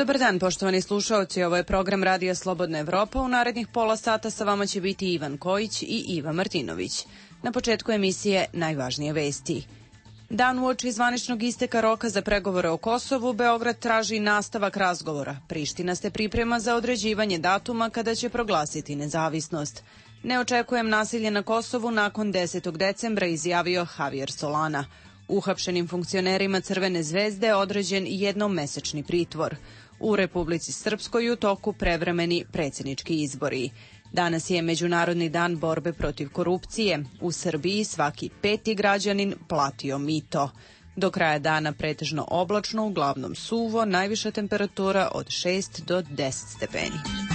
Dobar dan, poštovani slušaoci, ovo je program Radija Slobodna Evropa. U narednih pola sata sa vama će biti Ivan Kojić i Iva Martinović. Na početku emisije najvažnije vesti. Dan uoči zvaničnog isteka roka za pregovore o Kosovu, Beograd traži nastavak razgovora. Priština se priprema za određivanje datuma kada će proglasiti nezavisnost. Ne očekujem nasilje na Kosovu nakon 10. decembra, izjavio Javier Solana. Uhapšenim funkcionerima Crvene zvezde određen jednomesečni pritvor. U Republici Srpskoj u toku prevremeni predsjednički izbori. Danas je Međunarodni dan borbe protiv korupcije. U Srbiji svaki 5. građanin platio mito. Do kraja dana pretežno oblačno, uglavnom suvo, najviša temperatura od 6 do 10 stepeni.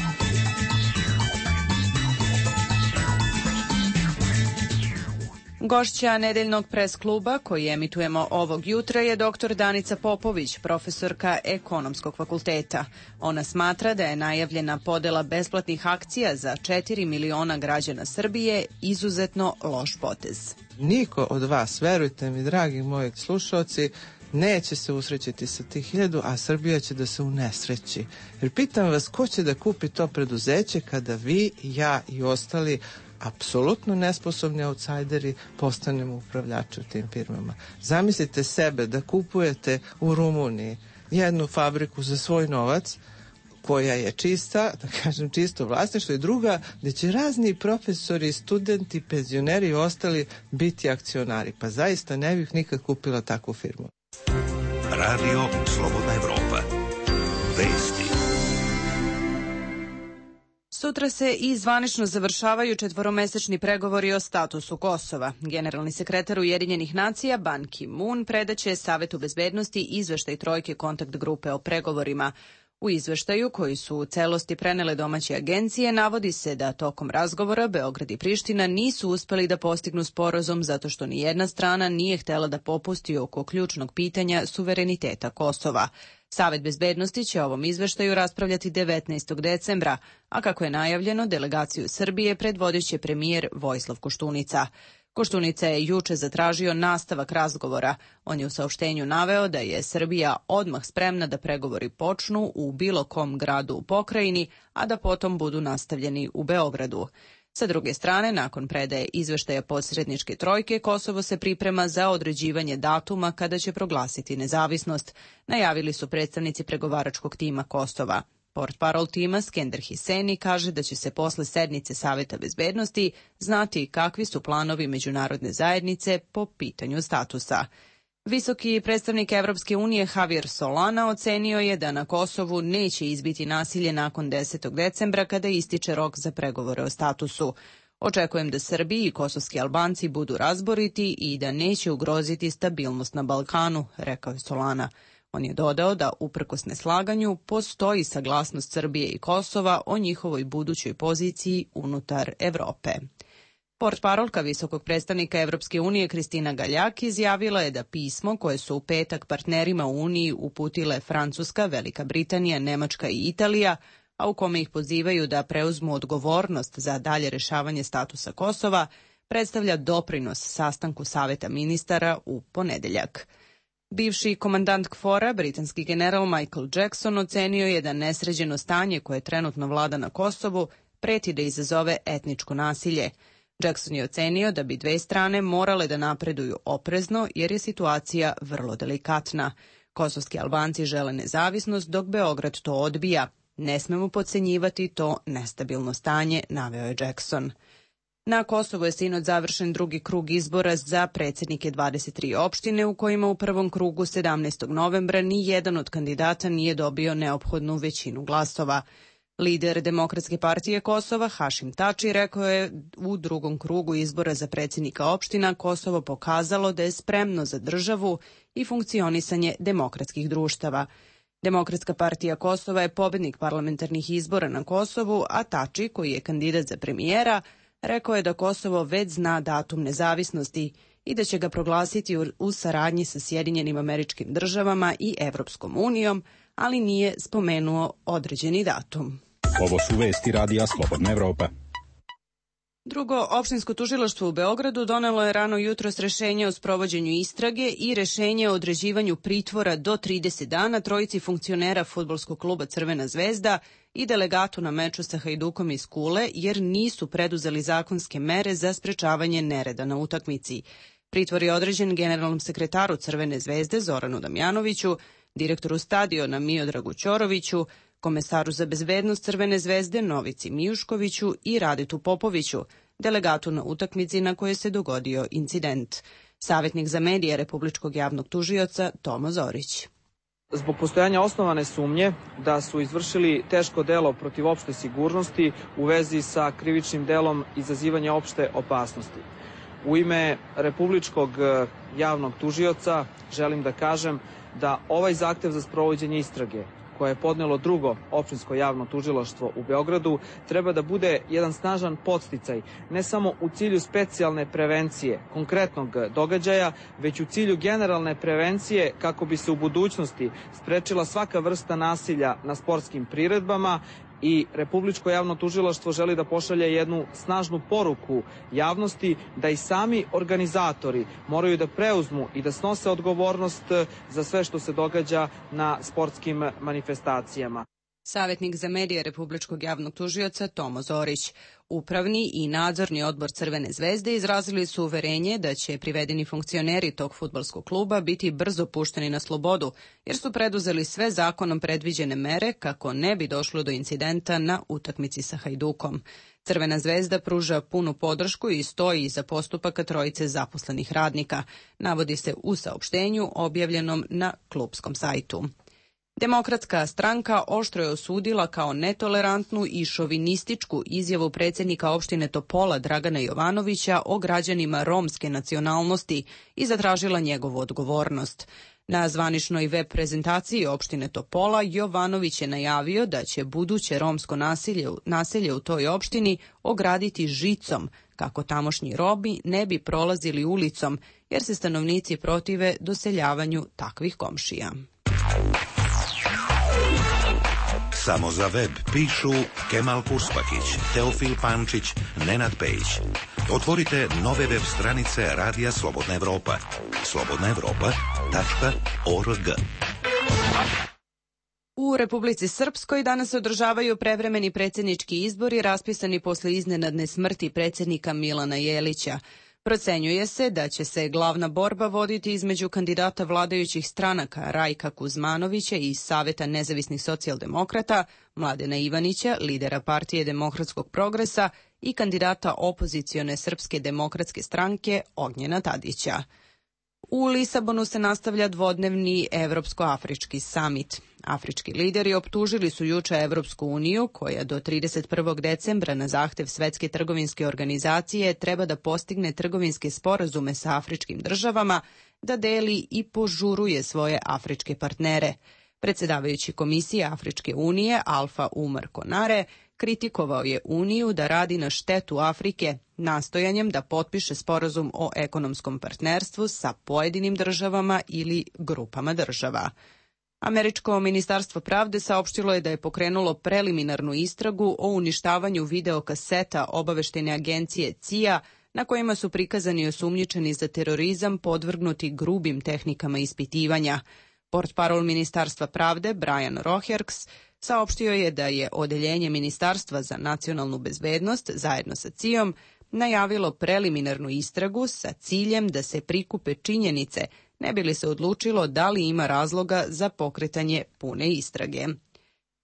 Gošća nedeljnog pres kluba koji emitujemo ovog jutra je dr. Danica Popović, profesorka Ekonomskog fakulteta. Ona smatra da je najavljena podela besplatnih akcija za 4 miliona građana Srbije izuzetno loš potez. Niko od vas, verujte mi, dragi moji slušalci, neće se usrećiti sa tih 1000, a Srbija će da se unesreći. Jer pitam vas, ko će da kupi to preduzeće kada vi, ja i ostali apsolutno nesposobni autsajderi postanemo upravljači u tim firmama. Zamislite sebe da kupujete u Rumuniji jednu fabriku za svoj novac koja je čista, da kažem čisto vlasništvo, i druga gde će razni profesori, studenti, penzioneri i ostali biti akcionari. Pa zaista ne bih nikad kupila takvu firmu. Radio Slobodna Evropa. Vesti. Sutra se i zvanično završavaju 4-mesečni pregovori o statusu Kosova. Generalni sekretar Ujedinjenih nacija Ban Ki-moon predaće Savetu bezbednosti izveštaj trojke kontakt grupe o pregovorima. U izveštaju, koji su u celosti prenele domaće agencije, navodi se da tokom razgovora Beograd i Priština nisu uspeli da postignu sporazum zato što ni jedna strana nije htela da popusti oko ključnog pitanja suvereniteta Kosova. Savet bezbednosti će o ovom izveštaju raspravljati 19. decembra, a kako je najavljeno, delegaciju Srbije predvodit će premijer Vojislav Koštunica. Koštunica je juče zatražio nastavak razgovora. On je u saopštenju naveo da je Srbija odmah spremna da pregovori počnu u bilo kom gradu u pokrajini, a da potom budu nastavljeni u Beogradu. Sa druge strane, nakon predaje izveštaja posredničke trojke, Kosovo se priprema za određivanje datuma kada će proglasiti nezavisnost, najavili su predstavnici pregovaračkog tima Kosova. Portparol tima Skender Hiseni kaže da će se posle sednice Saveta bezbednosti znati kakvi su planovi međunarodne zajednice po pitanju statusa. Visoki predstavnik Evropske unije Javier Solana ocenio je da na Kosovu neće izbiti nasilje nakon 10. decembra kada ističe rok za pregovore o statusu. Očekujem da Srbi i kosovski Albanci budu razboriti i da neće ugroziti stabilnost na Balkanu, rekao je Solana. On je dodao da, uprkos neslaganju, postoji saglasnost Srbije i Kosova o njihovoj budućoj poziciji unutar Evrope. Portparolka visokog predstavnika Evropske unije Kristina Galjak izjavila je da pismo koje su u petak partnerima u Uniji uputile Francuska, Velika Britanija, Nemačka i Italija, a u kome ih pozivaju da preuzmu odgovornost za dalje rešavanje statusa Kosova, predstavlja doprinos sastanku Saveta ministara u ponedeljak. Bivši komandant KFOR-a, britanski general Michael Jackson, ocenio je da nesređeno stanje koje trenutno vlada na Kosovu preti da izazove etničko nasilje. Jackson je ocenio da bi dve strane morale da napreduju oprezno jer je situacija vrlo delikatna. Kosovski Albanci žele nezavisnost dok Beograd to odbija. Ne smemo podcenjivati to nestabilno stanje, naveo je Jackson. Na Kosovu je sinoć završen drugi krug izbora za predsjednike 23 opštine u kojima u prvom krugu 17. novembra ni jedan od kandidata nije dobio neophodnu većinu glasova. Lider Demokratske partije Kosova Hašim Tači rekao je u drugom krugu izbora za predsjednika opština Kosovo pokazalo da je spremno za državu i funkcionisanje demokratskih društava. Demokratska partija Kosova je pobednik parlamentarnih izbora na Kosovu, a Tači, koji je kandidat za premijera, rekao je da Kosovo već zna datum nezavisnosti i da će ga proglasiti u saradnji sa Sjedinjenim Američkim Državama i Evropskom unijom, ali nije spomenuo određeni datum. Ovo su vesti Radija Slobodna Evropa. Drugo, opštinsko tužilaštvo u Beogradu donelo je rano jutros rešenje o sprovođenju istrage i rešenje o određivanju pritvora do 30 dana trojici funkcionera fudbalskog kluba Crvena zvezda i delegatu na meču sa Hajdukom iz Kule, jer nisu preduzeli zakonske mere za sprečavanje nereda na utakmici. Pritvor je određen generalnom sekretaru Crvene zvezde Zoranu Damjanoviću, direktoru stadiona Miodragu Ćoroviću, komesaru za bezbednost Crvene zvezde Novici Mijuškoviću i Radetu Popoviću, delegatu na utakmici na kojoj se dogodio incident. Savjetnik za medije Republičkog javnog tužioca Tomo Zorić. Zbog postojanja osnovane sumnje da su izvršili teško delo protiv opšte sigurnosti u vezi sa krivičnim delom izazivanja opšte opasnosti. U ime Republičkog javnog tužioca želim da kažem da ovaj zahtev za sprovođenje istrage koje je podnelo drugo opštinsko javno tužilaštvo u Beogradu, treba da bude jedan snažan podsticaj, ne samo u cilju specijalne prevencije konkretnog događaja, već u cilju generalne prevencije kako bi se u budućnosti sprečila svaka vrsta nasilja na sportskim priredbama i Republičko javno tužilaštvo želi da pošalje jednu snažnu poruku javnosti da i sami organizatori moraju da preuzmu i da snose odgovornost za sve što se događa na sportskim manifestacijama. Savjetnik za medije Republičkog javnog tužioca Tomo Zorić. Upravni i nadzorni odbor Crvene zvezde izrazili su uverenje da će privedeni funkcioneri tog fudbalskog kluba biti brzo pušteni na slobodu, jer su preduzeli sve zakonom predviđene mere kako ne bi došlo do incidenta na utakmici sa Hajdukom. Crvena zvezda pruža punu podršku i stoji iza postupaka trojice zaposlenih radnika, navodi se u saopštenju objavljenom na klubskom sajtu. Demokratska stranka oštro je osudila kao netolerantnu i šovinističku izjavu predsjednika opštine Topola Dragana Jovanovića o građanima romske nacionalnosti i zatražila njegovu odgovornost. Na zvaničnoj web prezentaciji opštine Topola Jovanović je najavio da će buduće romsko naselje u toj opštini ograditi žicom, kako tamošnji Romi ne bi prolazili ulicom, jer se stanovnici protive doseljavanju takvih komšija. Samo za web pišu Kemal Kurspakić, Teofil Pančić, Nenad Pejić. Otvorite nove web stranice Radija Slobodna Evropa. slobodnaevropa.org. U Republici Srpskoj danas se održavaju prevremeni predsjednički izbori raspisani posle iznenadne smrti predsjednika Milana Jelića. Procenjuje se da će se glavna borba voditi između kandidata vladajućih stranaka Rajka Kuzmanovića iz Saveta nezavisnih socijaldemokrata, Mladena Ivanića, lidera Partije demokratskog progresa i kandidata opozicione Srpske demokratske stranke Ognjena Tadića. U Lisabonu se nastavlja dvodnevni Evropsko-afrički samit. Afrički lideri optužili su juče Evropsku uniju, koja do 31. decembra na zahtev Svetske trgovinske organizacije treba da postigne trgovinske sporazume sa afričkim državama, da deli i požuruje svoje afričke partnere. Predsjedavajući Komisije Afričke unije Alfa Umar Konare kritikovao je Uniju da radi na štetu Afrike, nastojanjem da potpiše sporazum o ekonomskom partnerstvu sa pojedinim državama ili grupama država. Američko ministarstvo pravde saopštilo je da je pokrenulo preliminarnu istragu o uništavanju videokaseta obaveštajne agencije CIA, na kojima su prikazani osumnjičeni za terorizam podvrgnuti grubim tehnikama ispitivanja. Portparol Ministarstva pravde Brian Roherks saopštio je da je Odeljenje Ministarstva za nacionalnu bezbednost zajedno sa CIA-om najavilo preliminarnu istragu sa ciljem da se prikupe činjenice, ne bi li se odlučilo da li ima razloga za pokretanje pune istrage.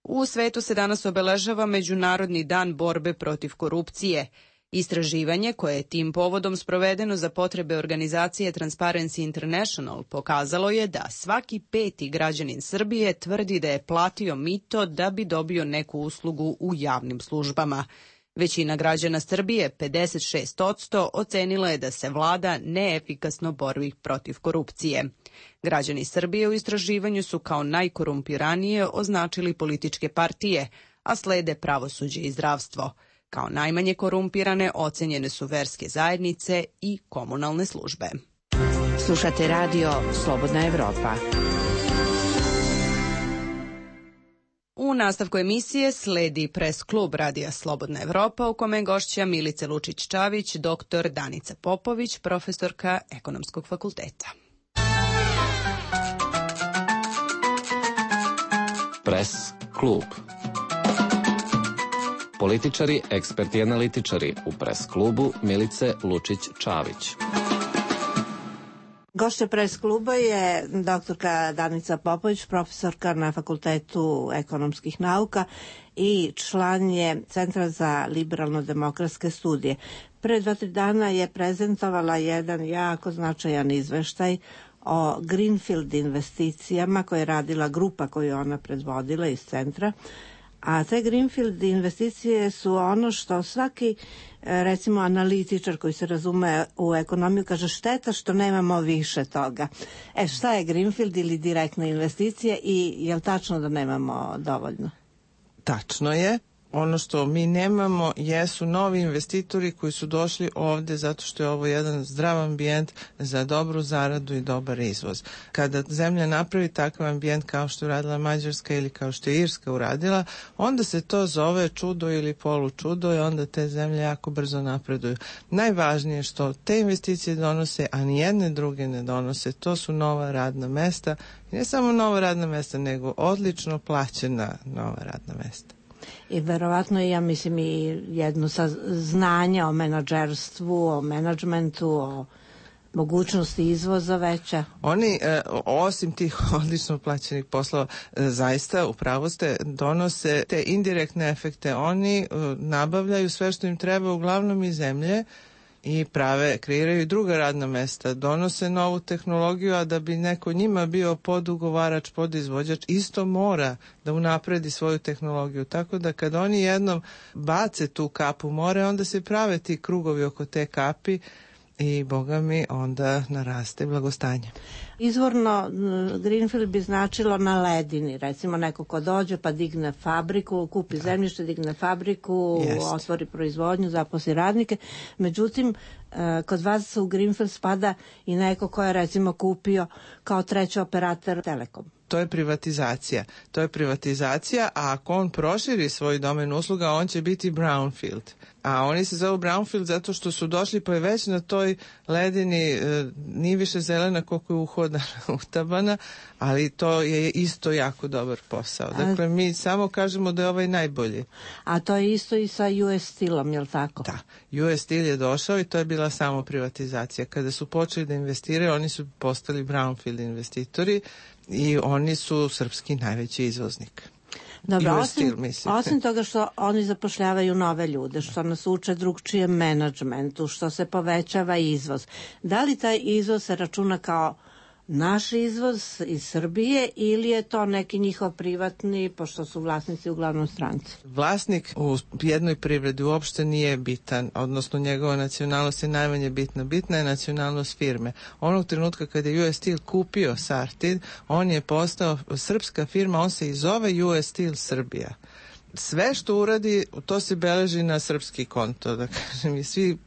U svetu se danas obeležava Međunarodni dan borbe protiv korupcije. Istraživanje koje je tim povodom sprovedeno za potrebe organizacije Transparency International pokazalo je da svaki 5. građanin Srbije tvrdi da je platio mito da bi dobio neku uslugu u javnim službama. Većina građana Srbije, 56%, ocenila je da se vlada neefikasno bori protiv korupcije. Građani Srbije u istraživanju su kao najkorumpiranije označili političke partije, a slede pravosuđe i zdravstvo. Kao najmanje korumpirane ocenjene su verske zajednice i komunalne službe. Slušate radio Slobodna Evropa. U nastavku emisije sledi pres klub Radija Slobodna Evropa u kome je gošća Milica Lučić-Čavić, doktor Danica Popović, profesorka Ekonomskog fakulteta. Pres klub. Političari, eksperti i analitičari u pres klubu Milice Lučić-Čavić. Gošća pres kluba je doktorka Danica Popović, profesorka na Fakultetu ekonomskih nauka i član je Centra za liberalno-demokratske studije. Pre 2-3 dana je prezentovala jedan jako značajan izveštaj o Greenfield investicijama koje je radila grupa koju ona predvodila iz centra. A te Greenfield investicije su ono što svaki, recimo, analitičar koji se razume u ekonomiju kaže šteta što nemamo više toga. Šta je Greenfield ili direktna investicija i je li tačno da nemamo dovoljno? Tačno je. Ono što mi nemamo jesu novi investitori koji su došli ovde zato što je ovo jedan zdrav ambijent za dobru zaradu i dobar izvoz. Kada zemlja napravi takav ambijent kao što je uradila Mađarska ili kao što je Irska uradila, onda se to zove čudo ili polučudo i onda te zemlje jako brzo napreduju. Najvažnije je što te investicije donose, a nijedne druge ne donose, to su nova radna mesta. I ne samo nova radna mesta, nego odlično plaćena nova radna mesta. I verovatno ja mislim i jedno znanje o menadžerstvu, o menadžmentu, o mogućnosti izvoza veća. Oni, osim tih odlično plaćenih poslova, zaista, upravo ste, donose te indirektne efekte. Oni nabavljaju sve što im treba, uglavnom iz zemlje, i kreiraju i druga radna mesta, donose novu tehnologiju, a da bi neko njima bio podugovarač, podizvođač, isto mora da unapredi svoju tehnologiju. Tako da kad oni jednom bace tu kapu more, onda se prave ti krugovi oko te kapi i, boga mi, onda naraste blagostanje. Izvorno Greenfield bi značilo na ledini, recimo neko ko dođe pa digne fabriku, kupi zemljište, digne fabriku, otvori proizvodnju, zaposli radnike. Međutim, kod vas u Greenfield spada i neko ko je recimo kupio kao treći operator Telekom. To je privatizacija. A ako on proširi svoj domen usluga, on će biti brownfield. A oni se zovu brownfield zato što su došli pa je već na toj ledini nije više zelena koliko je utabana, ali to je isto jako dobar posao. Dakle, mi samo kažemo da je ovaj najbolji. A to je isto i sa US Steelom, je li tako? Da. US Steel je došao i to je bila samo privatizacija. Kada su počeli da investiraju, oni su postali brownfield investitori i oni su srpski najveći izvoznik. Dobro, osim toga što oni zapošljavaju nove ljude, što nas uče drugčijem menadžmentu, što se povećava izvoz. Da li taj izvoz se računa kao naš izvoz iz Srbije ili je to neki njihov privatni, pošto su vlasnici uglavnom stranci? Vlasnik u jednoj privredi uopšte nije bitan, odnosno njegova nacionalnost je najmanje bitna. Bitna je nacionalnost firme. Onog trenutka kada je US Steel kupio Sartid, on je postao srpska firma, on se i zove US Steel Srbija. Sve što uradi, to se beleži na srpski konto, da kažem, i svi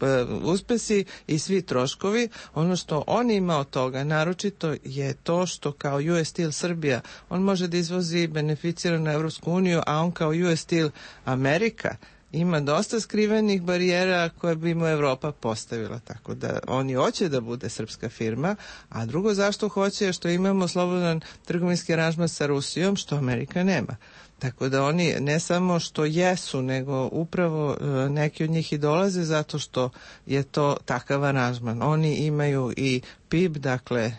uspesi i svi troškovi. Ono što on ima od toga, naročito je to što kao US Steel Srbija, on može da izvozi beneficiranu Evropsku uniju, a on kao US Steel Amerika ima dosta skrivenih barijera koje bi mu Evropa postavila, tako da oni hoće da bude srpska firma, a drugo zašto hoće je što imamo slobodan trgovinski aranžman sa Rusijom, što Amerika nema. Tako da oni ne samo što jesu, nego upravo neki od njih i dolaze zato što je to takav aranžman. Oni imaju i PIB, dakle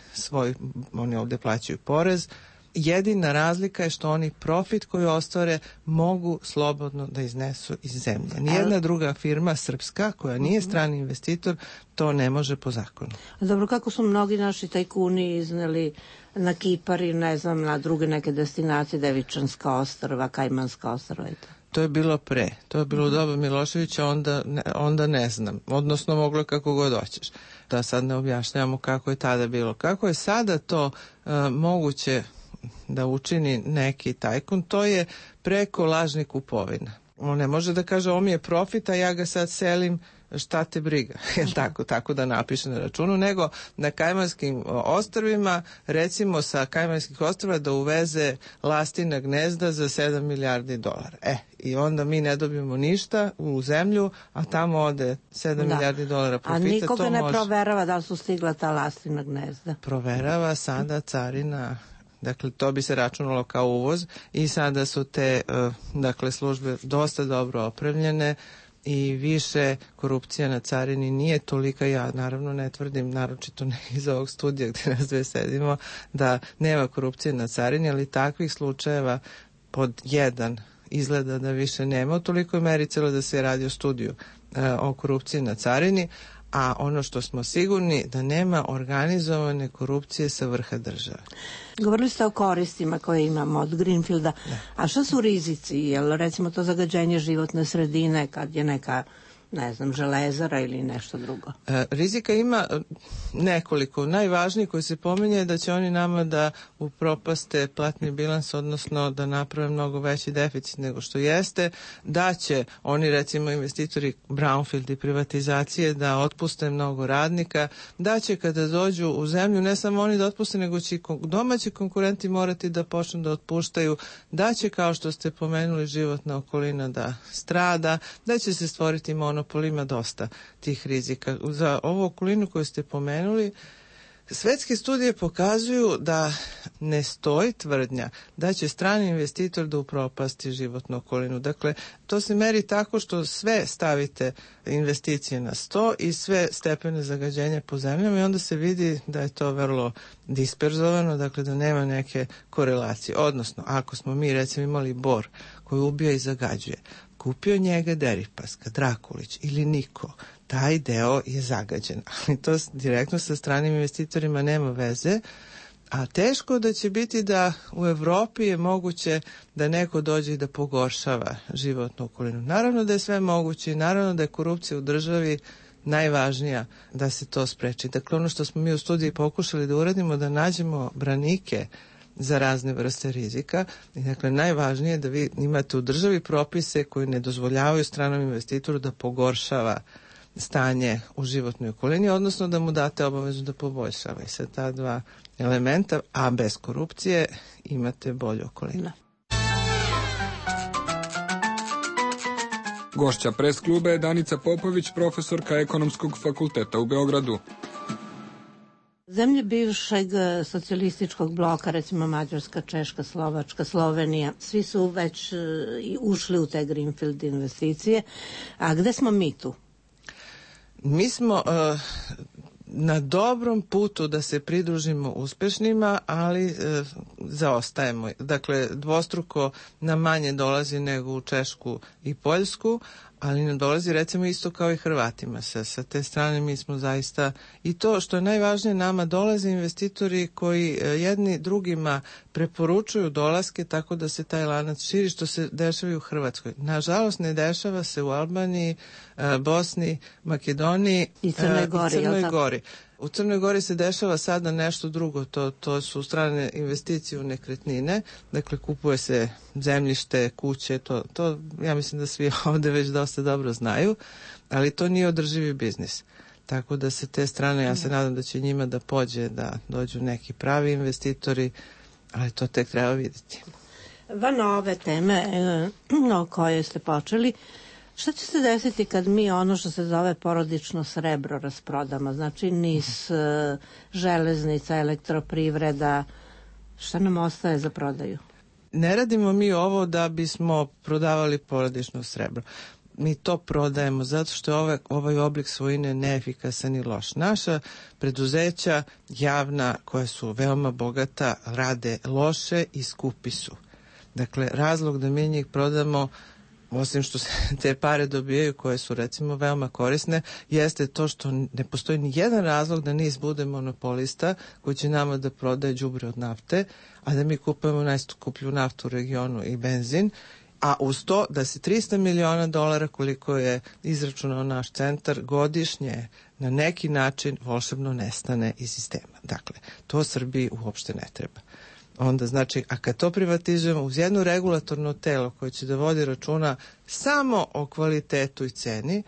oni ovde plaćaju porez. Jedina razlika je što oni profit koji ostvare mogu slobodno da iznesu iz zemlje. Nijedna druga firma srpska koja nije strani investitor to ne može po zakonu. Dobro, kako su mnogi naši tajkuni izneli na Kipar i ne znam na druge neke destinacije, Devičanska ostrva, Kajmanska ostrva i to? To je bilo to je bilo u doba Miloševića, onda ne znam, odnosno moglo kako god hoćeš. Da sad ne objašnjavamo kako je tada bilo. Kako je sada to moguće da učini neki tajkun, to je preko lažnih kupovina. On ne može da kaže ovo mi je profit, a ja ga sad selim šta te briga, tako da napiše na računu, nego na Kajmanskim ostrvima, recimo sa Kajmanskih ostrva da uveze lastina gnezda za 7 milijardi dolara. I onda mi ne dobijemo ništa u zemlju, a tamo ode 7 milijardi dolara profita. A nikoga ne proverava da li su stigla ta lastina gnezda? Proverava sada carina. Dakle, to bi se računalo kao uvoz i sada su te službe dosta dobro opremljene i više korupcija na carini nije tolika. Ja naravno ne tvrdim, naročito ne iz ovog studija gde nas dve sedimo, da nema korupcije na carini, ali takvih slučajeva pod jedan izgleda da više nema u tolikoj meri, celo da se radi o studiju o korupciji na carini, a ono što smo sigurni da nema organizovane korupcije sa vrha države. Govorili ste o koristima koje imamo od Greenfielda, a šta su rizici? Jel recimo to zagađenje životne sredine kad je neka, ne znam, železara ili nešto drugo? Rizika ima nekoliko. Najvažniji koji se pominje je da će oni nama da upropaste platni bilans, odnosno da naprave mnogo veći deficit nego što jeste, da će oni, recimo investitori brownfield i privatizacije, da otpuste mnogo radnika, da će kada dođu u zemlju ne samo oni da otpuste, nego će i domaći konkurenti morati da počnu da otpuštaju, da će, kao što ste pomenuli, životna okolina da strada, da će se stvoriti monopolima, dosta tih rizika. Za ovu okolinu koju ste pomenuli, svetske studije pokazuju da ne stoji tvrdnja da će strani investitor da upropasti životnu okolinu. Dakle, to se meri tako što sve stavite investicije na sto i sve stepene zagađenja po zemljama i onda se vidi da je to vrlo disperzovano, dakle da nema neke korelacije. Odnosno, ako smo mi recimo imali bor koji ubija i zagađuje, kupio njega Deripaska, Drakulić ili niko, taj deo je zagađen, ali to direktno sa stranim investitorima nema veze, a teško da će biti da u Evropi je moguće da neko dođe i da pogoršava životnu okolinu. Naravno da je sve moguće i naravno da je korupcija u državi najvažnija da se to spreči. Dakle, ono što smo mi u studiji pokušali da uradimo, da nađemo branike za razne vrste rizika. I dakle, najvažnije je da vi imate u državi propise koji ne dozvoljavaju stranom investitoru da pogoršava stanje u životnoj okolini, odnosno da mu date obavezu da poboljšava. I sa ta dva elementa, a bez korupcije, imate bolju okolinu. Gošća pres kluba je Danica Popović, profesorka Ekonomskog fakulteta u Beogradu. Zemlje bivšeg socijalističkog bloka, recimo Mađarska, Češka, Slovačka, Slovenija, svi su već ušli u te Greenfield investicije. A gde smo mi tu? Mi smo na dobrom putu da se pridružimo uspešnima, ali zaostajemo. Dakle, dvostruko nam manje dolazi nego u Češku i Poljsku, ali nam dolazi recimo isto kao i Hrvatima. Sa te strane mi smo zaista, i to što je najvažnije, nama dolaze investitori koji jedni drugima preporučuju dolaske tako da se taj lanac širi, što se dešava i u Hrvatskoj. Nažalost, ne dešava se u Albaniji, Bosni, Makedoniji i Crnoj Gori. U Crnoj Gori se dešava sada nešto drugo, to su strane investicije u nekretnine, dakle kupuje se zemljište, kuće, to ja mislim da svi ovde već dosta dobro znaju, ali to nije održivi biznis. Tako da se te strane, ja se nadam da će njima da pođe, da dođu neki pravi investitori, ali to tek treba vidjeti. Van ove teme o kojoj ste počeli, šta će se desiti kad mi ono što se zove porodično srebro rasprodamo? Znači NIS, železnica, elektroprivreda, šta nam ostaje za prodaju? Ne radimo mi ovo da bismo prodavali porodično srebro. Mi to prodajemo zato što je ovaj oblik svojine neefikasan i loš. Naša preduzeća javna, koja su veoma bogata, rade loše i skupi su. Dakle, razlog da mi njih prodamo, osim što se te pare dobijaju koje su recimo veoma korisne, jeste to što ne postoji ni jedan razlog da NIS bude monopolista koji će nama da prodaje đubre od nafte, a da mi kupujemo najskuplju naftu u regionu i benzin, a uz to da se $300 miliona koliko je izračunao naš centar godišnje na neki način volšebno nestane iz sistema. Dakle, to Srbiji uopšte ne treba. Onda znači, a kad to privatizujemo uz jedno regulatorno telo koje će da vodi računa samo o kvalitetu i ceni,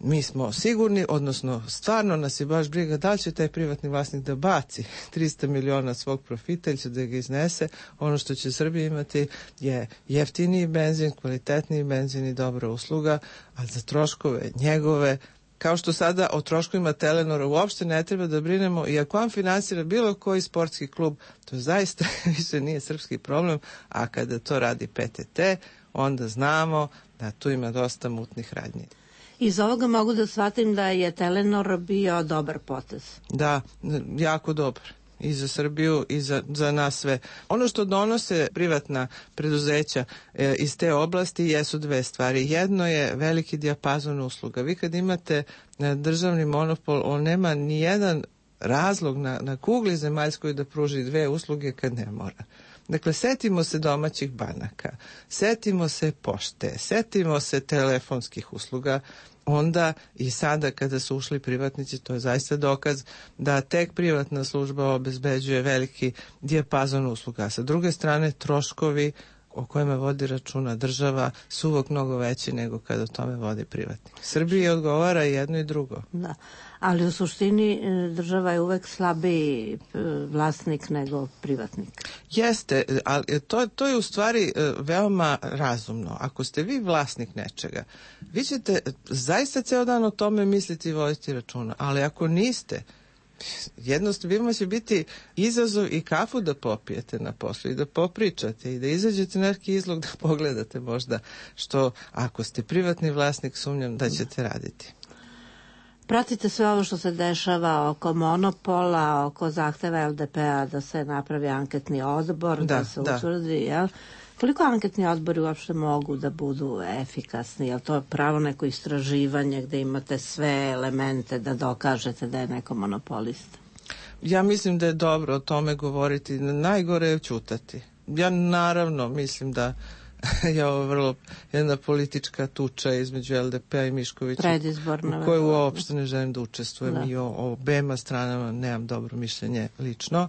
mi smo sigurni, odnosno stvarno nas je baš briga da li će taj privatni vlasnik da baci 300 miliona svog profita ili će da ga iznese. Ono što će Srbija imati je jeftiniji benzin, kvalitetniji benzin i dobra usluga, ali za troškove njegove, kao što sada o troškovima Telenora uopšte ne treba da brinemo, i ako on finansira bilo koji sportski klub, to zaista više nije srpski problem, a kada to radi PTT, onda znamo da tu ima dosta mutnih radnji. Iz ovoga mogu da shvatim da je Telenor bio dobar potez. Da, jako dobar. I za Srbiju i za nas sve. Ono što donose privatna preduzeća iz te oblasti jesu dve stvari. Jedno je veliki dijapazon usluga. Vi kad imate državni monopol, on nema ni jedan razlog na kugli zemaljskoj da pruži dve usluge kad ne mora. Dakle, setimo se domaćih banaka, setimo se pošte, setimo se telefonskih usluga. Onda i sada kada su ušli privatnici, to je zaista dokaz da tek privatna služba obezbeđuje veliki dijapazon usluga. Sa druge strane, troškovi o kojima vodi računa država su uvijek mnogo veći nego kada o tome vodi privatnik. Srbiji odgovara jedno i drugo. Da, ali u suštini država je uvek slabiji vlasnik nego privatnik. Jeste, ali to je u stvari veoma razumno. Ako ste vi vlasnik nečega, vi ćete zaista ceo dan o tome misliti i voditi računa, ali ako niste, jednostavno će biti izazov i kafu da popijete na poslu i da popričate i da izađete na neki izlog da pogledate možda, što ako ste privatni vlasnik sumnjam da ćete raditi. Pratite sve ovo što se dešava oko monopola, oko zahteva LDP-a da se napravi anketni odbor, da se utvrdi, jel? Koliko anketni odbori uopšte mogu da budu efikasni? Je li to pravo neko istraživanje gde imate sve elemente da dokažete da je neko monopolista? Ja mislim da je dobro o tome govoriti. Najgore je ćutati. Ja naravno mislim da je ovo vrlo jedna politička tuča između LDP-a i Miškovića, predizborna, u kojoj uopšte ne želim da učestvujem. Da. I o obema stranama nemam dobro mišljenje lično.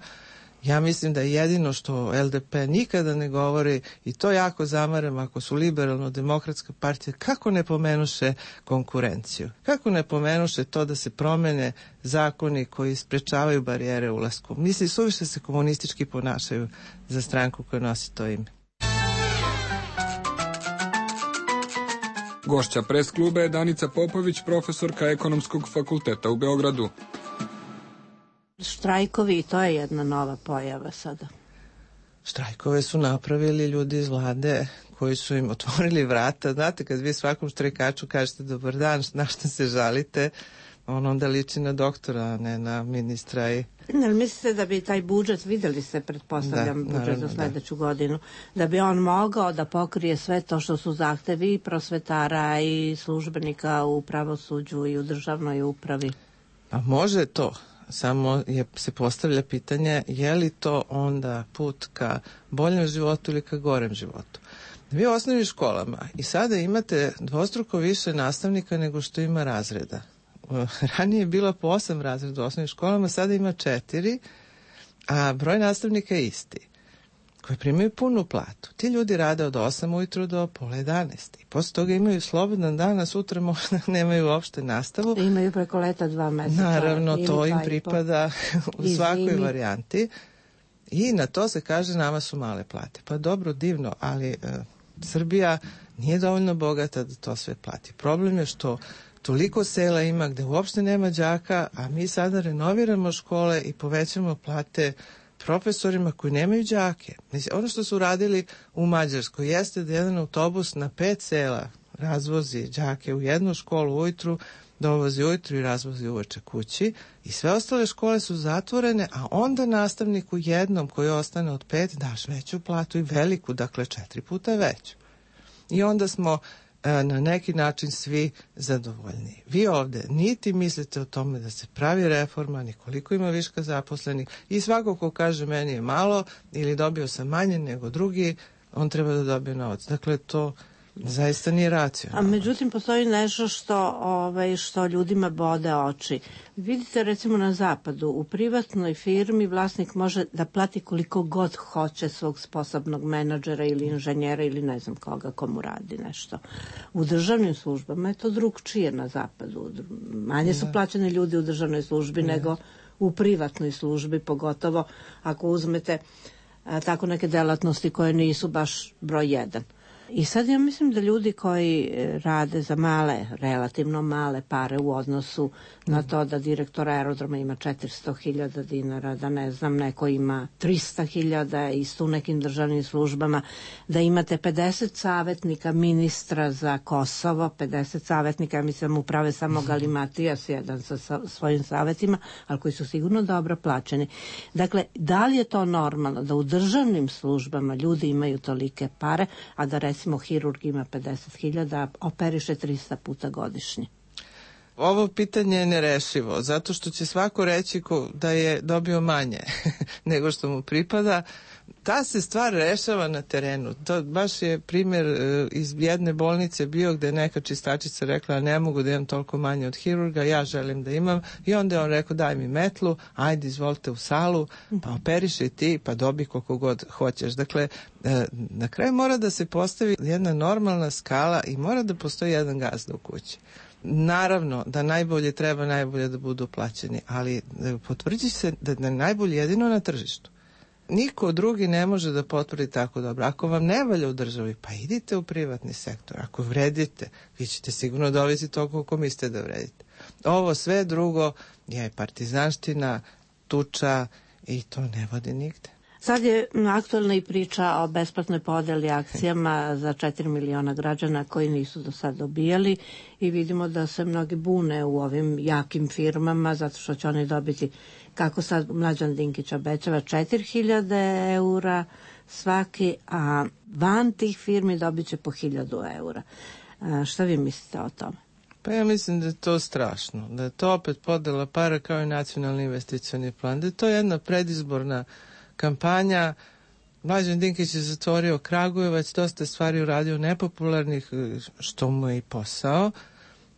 Ja mislim da jedino što LDP nikada ne govori, i to jako zamaram ako su liberalno-demokratska partija, kako ne pomenuše konkurenciju, kako ne pomenuše to da se promene zakoni koji sprečavaju barijere ulasku. Misli, suviše se komunistički ponašaju za stranku koja nosi to ime. Gošća pres kluba je Danica Popović, profesorka Ekonomskog fakulteta u Beogradu. Štrajkovi, to je jedna nova pojava sada. Štrajkove su napravili ljudi iz vlade koji su im otvorili vrata. Znate, kad vi svakom štrajkaču kažete dobar dan, na šta se žalite, on onda liči na doktora, a ne na ministra. Ali mislite da bi taj budžet, videli ste, pretpostavljam, budžet za sledeću godinu, da bi on mogao da pokrije sve to što su zahtevi i prosvetara i službenika u pravosuđu i u državnoj upravi? A može to. Samo se postavlja pitanje je li to onda put ka boljem životu ili ka gorem životu. Vi u osnovnim školama i sada imate dvostruko više nastavnika nego što ima razreda. Ranije je bilo po 8 razreda u osnovnim školama, sada ima 4, a broj nastavnika je isti, koji primaju punu platu. Ti ljudi rade od 8 ujutru do pola 11. I posle toga imaju slobodan dan, a sutra možda nemaju uopšte nastavu. Imaju preko leta 2 meseca. Naravno, to im pripada u svakoj varijanti. I na to se kaže nama su male plate. Pa dobro, divno, ali Srbija nije dovoljno bogata da to sve plati. Problem je što toliko sela ima gde uopšte nema đaka, a mi sada renoviramo škole i povećamo plate profesorima koji nemaju đake. Ono što su radili u Mađarskoj jeste da jedan autobus na 5 sela razvozi đake u jednu školu ujutru, dovozi ujutru i razvozi uveče kući, i sve ostale škole su zatvorene, a onda nastavniku jednom koji ostane od 5 daš veću platu i veliku, dakle 4 puta veću. I onda smo na neki način svi zadovoljni. Vi ovde niti mislite o tome da se pravi reforma, ni koliko ima viška zaposlenih, i svako ko kaže meni je malo ili dobio sam manje nego drugi, on treba da dobije novac. Dakle, to Zaista nije racionalno. A međutim, postoji nešto što ljudima bode oči. Vidite, recimo na zapadu, u privatnoj firmi vlasnik može da plati koliko god hoće svog sposobnog menadžera ili inženjera ili ne znam koga, komu radi nešto. U državnim službama je to drugčije na zapadu. Manje su plaćeni ljudi u državnoj službi nego u privatnoj službi, pogotovo ako uzmete tako neke delatnosti koje nisu baš broj 1. I sad ja mislim da ljudi koji rade za relativno male pare u odnosu na to da direktor aerodroma ima 400.000 dinara, da ne znam, neko ima 300.000 isto u nekim državnim službama, da imate 50 savjetnika ministra za Kosovo, 50 savjetnika, mislim, uprave samo Galimatijas jedan sa svojim savjetima, ali koji su sigurno dobro plaćeni. Dakle, da li je to normalno da u državnim službama ljudi imaju tolike pare, a da recimo hirurg ima 50.000, a operiše 300 puta godišnje? Ovo pitanje je nerešivo, zato što će svako reći da je dobio manje nego što mu pripada. Ta se stvar rešava na terenu. To baš je primjer iz jedne bolnice bio gde je neka čistačica rekla ne mogu da imam toliko manje od hirurga, ja želim da imam. I onda je on rekao daj mi metlu, ajde izvolite u salu, pa operiši ti, pa dobi koliko god hoćeš. Dakle, na kraju mora da se postavi jedna normalna skala i mora da postoji jedan gazda u kući. Naravno da najbolje treba najbolje da budu plaćeni, ali potvrđi se da je najbolje jedino na tržištu. Niko drugi ne može da potvrdi tako dobro. Ako vam ne valja u državi, pa idite u privatni sektor. Ako vredite, vi ćete sigurno dovesti toliko koliko mislite da vredite. Ovo sve drugo je partizanština, tuča i to ne vodi nigde. Sad je aktualna i priča o besplatnoj podeli akcijama za 4 miliona građana koji nisu do sad dobijali i vidimo da se mnogi bune u ovim jakim firmama zato što će oni dobiti, kako sad Mlađan Dinkić obećava, 4.000 eura svaki, a van tih firmi dobit će po 1.000 eura. Šta vi mislite o tome? Pa ja mislim da je to strašno, da je to opet podela para kao i nacionalni investicioni plan, da je to jedna predizborna kampanja. Mlađan Dinkić je zatvorio Kragujevac, dosta stvari uradio nepopularnih, što mu je i posao,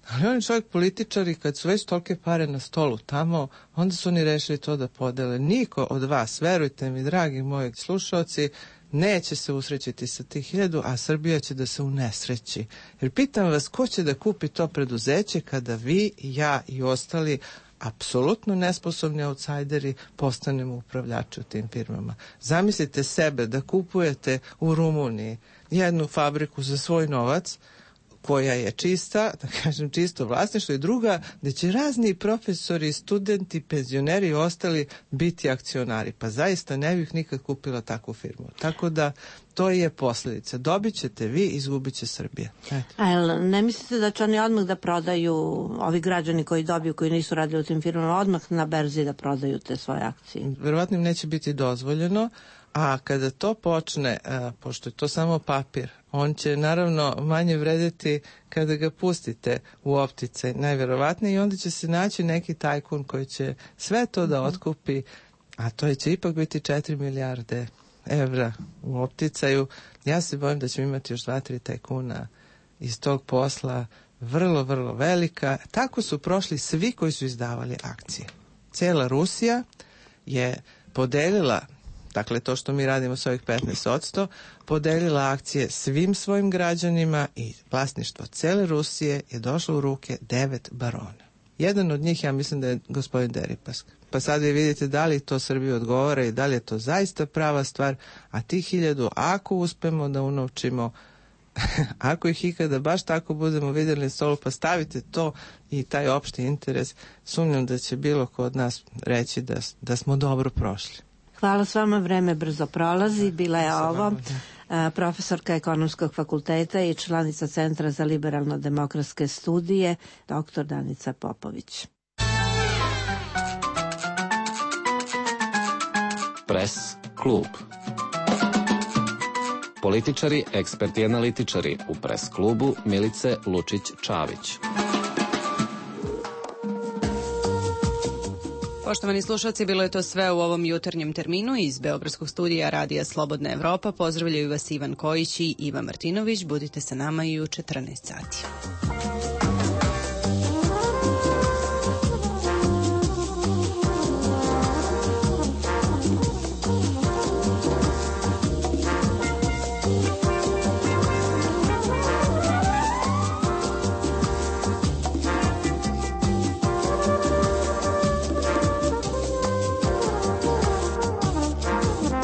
ali on je čovjek političar i kad su već tolike pare na stolu tamo, onda su oni rešili to da podele. Niko od vas, verujte mi, dragi moji slušalci, neće se usrećiti sa tih 1.000, a Srbija će da se unesreći. Jer pitam vas, ko će da kupi to preduzeće kada vi, ja i ostali apsolutno nesposobni outsideri postanemo upravljači u tim firmama. Zamislite sebe da kupujete u Rumuniji jednu fabriku za svoj novac koja je čista, da kažem čisto vlasništvo, i druga gde će razni profesori, studenti, penzioneri i ostali biti akcionari. Pa zaista ne bih nikad kupila takvu firmu. Tako da to je posljedica. Dobit ćete vi, izgubit će Srbija. A ne mislite da će oni odmah da prodaju, ovi građani koji dobiju, koji nisu radili u tim firmama, odmah na berzi da prodaju te svoje akcije? Verovatno im neće biti dozvoljeno, a kada to počne, pošto je to samo papir, on će naravno manje vredeti kada ga pustite u opticaj, najverovatnije, i onda će se naći neki tajkun koji će sve to da otkupi, a to će ipak biti 4 milijarde evra u opticaju. Ja se bojim da ćemo imati još 2-3 tajkuna iz tog posla, vrlo, vrlo velika. Tako su prošli svi koji su izdavali akcije. Cijela Rusija je podelila, dakle to što mi radimo s ovih 15%, podelila akcije svim svojim građanima i vlasništvo cele Rusije je došlo u ruke 9 barona. Jedan od njih, ja mislim da je gospodin Deripaska. Pa sad vi vidite da li to Srbiji odgovara i da li je to zaista prava stvar, a tih 1.000, ako uspemo da unovčimo, ako ih ikada baš tako budemo vidjeli na stolu, pa stavite to i taj opšti interes, sumnjam da će bilo ko od nas reći da smo dobro prošli. Hvala s vama, vreme brzo prolazi. Bila je ovo profesorka Ekonomskog fakulteta i članica Centra za liberalno-demokratske studije, dr. Danica Popović. Pres klub. Političari, eksperti i analitičari u Pres klubu Milice Lučić-Čavić. Poštovani slušalci, bilo je to sve u ovom jutarnjem terminu. Iz Beogradskog studija Radija Slobodna Evropa pozdravljaju vas Ivan Kojić i Iva Martinović. Budite sa nama i u 14 sati.